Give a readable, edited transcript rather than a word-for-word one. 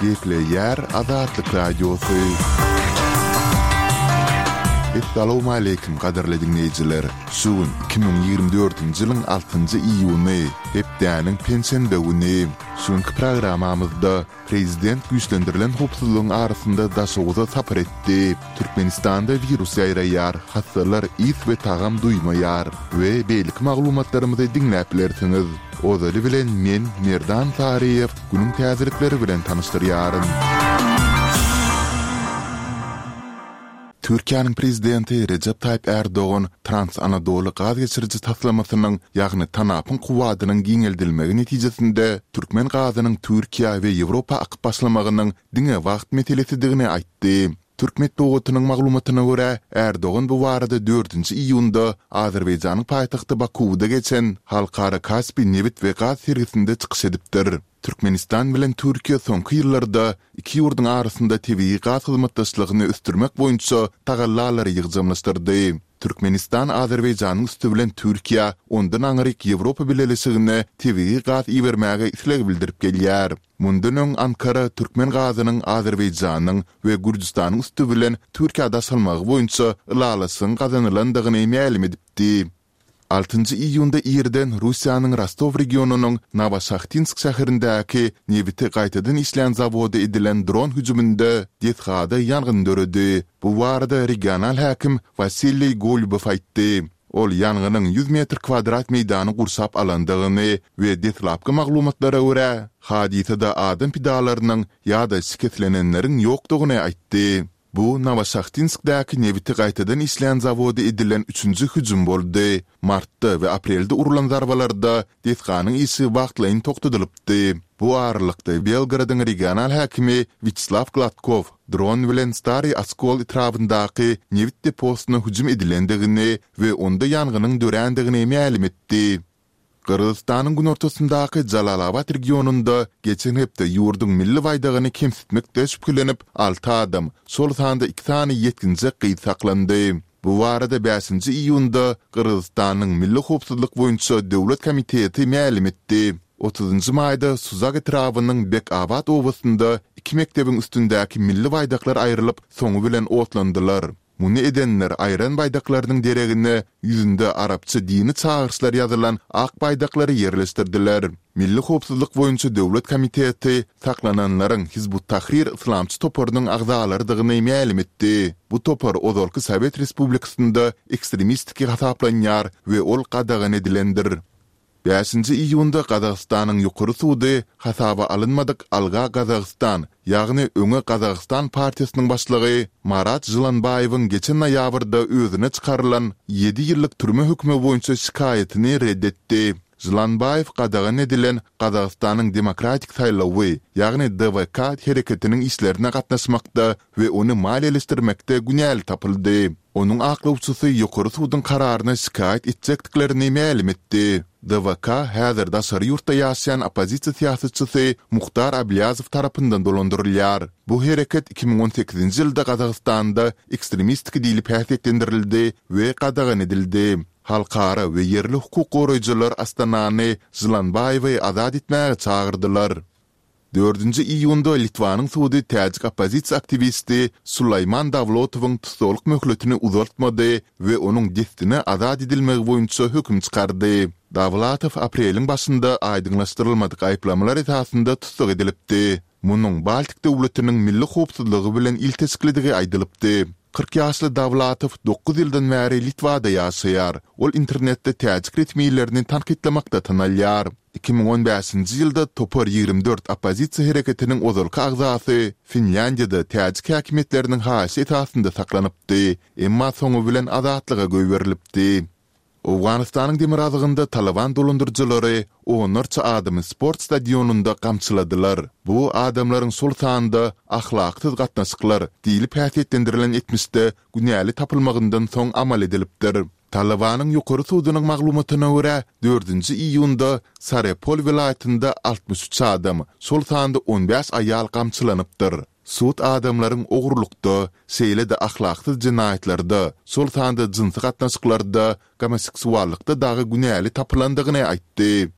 Gepleýär Azatlyk Radiosy. Essalawmaleýkim gadyrly diňleýjiler! Şu gün 2024-nji ýylyň altynjy iýuny, hepdäniň penşenbe güni. Şu günki programmamyzda Prezident güýçlendirilen howpsuzlygyň arasynda Daşoguza sapar etdi. Türkmenistanda wirus ýaýraýar, hassalar ys we tagam duýmaýar we beýleki maglumatlarymyzy diňläp bilersiňiz. Ozaly bilen men, Merdan Saryýew, günüň täzelikleri bilen tanyşdyrýaryn. Türkiýäniň Prezidenti Rejep Taýyp Ärdogan Trans-Anadoly gaz geçiriji taslamasynyň, ýagny TANAP-yň kuwwadynyň giňeldilmegi netijesinde türkmen gazynyň Türkiýä we Ýewropa akyp başlamagynyň diňe wagt meselesidigini aýtdy. Türk metbugatynyň maglumatyna görä, Ärdogan bu barada dördünji iýunda Azerbaýjanyň paýtagty Bakuwda geçen Halkara Kaspi nebit we gaz sergisinde çykyş edipdir. Türkmenistan bilen Türkiýe soňky ýyllarda iki ýurduň arasynda tebigy gaz hyzmatdaşlygyny ösdürmek boýunça tagallalary ýygjamlaşdyrdy. Türkmenistan Azerbaýjanyň üsti bilen Türkiýä, ondan aňryk Ýewropa Bileleşigine tebigy gaz ibermäge isleg bildirip gelýär. Mundan öň Ankara türkmen gazynyň Azerbaýjanyň we Gürjüstanyň üsti bilen Türkiýä daşalmagy boýunça ylalaşygyň gazanylandygyny mälim edipdi. Altynjy iýunda irden Russiýanyň Rostow regionynyň Nowoşahtinsk şäherindäki nebiti gaýtadan işleýän zawoda edilen dron hüjüminde desgada ýangyn döredi. Bu barada regional häkim Wasiliý Golubow aýtdy. Ol ýangynyň 100 metr kwadrat meýdany gurşap alandygyny we deslapky maglumatlara görä, hadysada adam pidalarynyň ýa-da şikeslenenleriň ýokdugyny aýtdy. Bu Nowoşahtinskdäki nebiti gaýtadan işleýän zawoda edilen üçünji hüjüm boldy. Martda we aprelde urlan zarbalarda desganyň işi wagtlaýyn togtadylypdy. Bu aralykda, Belgorodyň regional häkimi Wýaçeslaw Gladkow dron bilen Stariý Oskol etrabyndaky nebit deposyna hüjüm edilendigini we onda ýangynyň dörändigini mälim etdi. Gyrgyzystanyň günortasyndaky Jalalabat regionynda geçen hepde ýurduň milli baýdagyny kemsitmekde şübhelenip, alty adam, şol sanda iki sany ýetginjek gyz saklandy. Bu barada bäşinji iýunda Gyrgyzystanyň Milli howpsuzlyk boýunça döwlet komiteti mälim etdi. Otuzynjy maýda Suzak etrabynyň Bek-Abat obasynda iki mekdebiň üstündäki milli baýdaklar aýrylyp, soňy bilen otlandylar. Muny edenler aýran baýdaklarynyň deregine ýüzünde arapça dini çagyryşlar ýazylan ak baýdaklary ýerleşdirdiler. Milli howpsuzlyk boýunça döwlet komiteti saklananlaryň Hizb-ut-Tahrir yslamçy toparynyň agzalarydygyny mälim etdi. Bu topar ozalky sowet respublikasynda ekstremistiki hasaplanýar we ol gadagan edilendir. Bäşinji iýunda Gazagystanyň Ýokary sudy hasaba alynmadyk Alga Gazagystan, ýagny Öňe Gazagystan partiýasynyň başlygy Marat Žylanbaýewiň geçen noýabrda özüne çykarylan ýedi ýyllyk türme hökümi boýunça şikaýatyny ret etdi. Žylanbaýew gadagan edilen Gazagystanyň Demokratik saýlawy, ýagny DWK hereketiniň işlerine gatnaşmakda we ony maliýeleşdirmekde günäli tapyldy. Onuň aklawçysy ýokary suduň kararyna şikaýat etjekdiklerini mälim etdi. DWK häzir daşary ýurtda ýaşaýan oppozisiýa syýasatçysy Muhtar Ablýazow tarapyndan dolandyrylýar. Bu hereket 2018-nji ýylda Gazagystanda ekstremistik diýlip häsiýetlendirildi we gadagan edildi. Halkara we ýerli hukuk goraýjylar Astanany Žylanbaýewi azat etmäge çagyrdylar. Dördünji iýunda Litwanyň sudy täjik oppozisiýa aktiwisti Sulaýman Dawlotowyň tussaglyk möhletini uzaltmady we onuň dessine azat edilmegi boýunça höküm çykardy. Dawlatow apreliň başynda aýdyňlaşdyrylmadyk aýyplamalar esasynda tussag edilipdi. Munuň Baltik döwletiniň milli howpsuzlygy bilen ilteşiklidigi aýdylypdy. 40 ýaşly Dawlatow dokuz ýyldan bäri Litwada ýaşaýar. Ol internetde täjik resmilerini tankytlamakda tanalýar. 2015-nji ýylda Topar 24 oppozisiýa hereketiniň ozalky agzasy Finlýandiýada täjik häkimiýetleriniň haýyşy esasynda saklanypdy, emma soňy bilen azatlyga goýberilipdi. Owganystanyň demirgazygynda Talyban dolandyryjylary onlarça adamy sport stadionynda gamçyladylar. Bu adamlaryň şol sanda ahlaksyz gatnaşyklar diýlip häsiýetlendirilen etmişde günäli tapylmagyndan soň amal edilipdir. Talybanyň Ýokary sudunyň maglumatyna görä, dördünji iýunda Sarepol welaýatynda 63 adam, şol sanda on bäş aýal gamçylanypdyr. Sud adamlaryň ogurlykda, şeýle-de ahlaksyz jenaýatlarda, şol sanda jynsy gatnaşyklarda, gomoseksuallykda dagy günäli tapylandygyny aýtdy.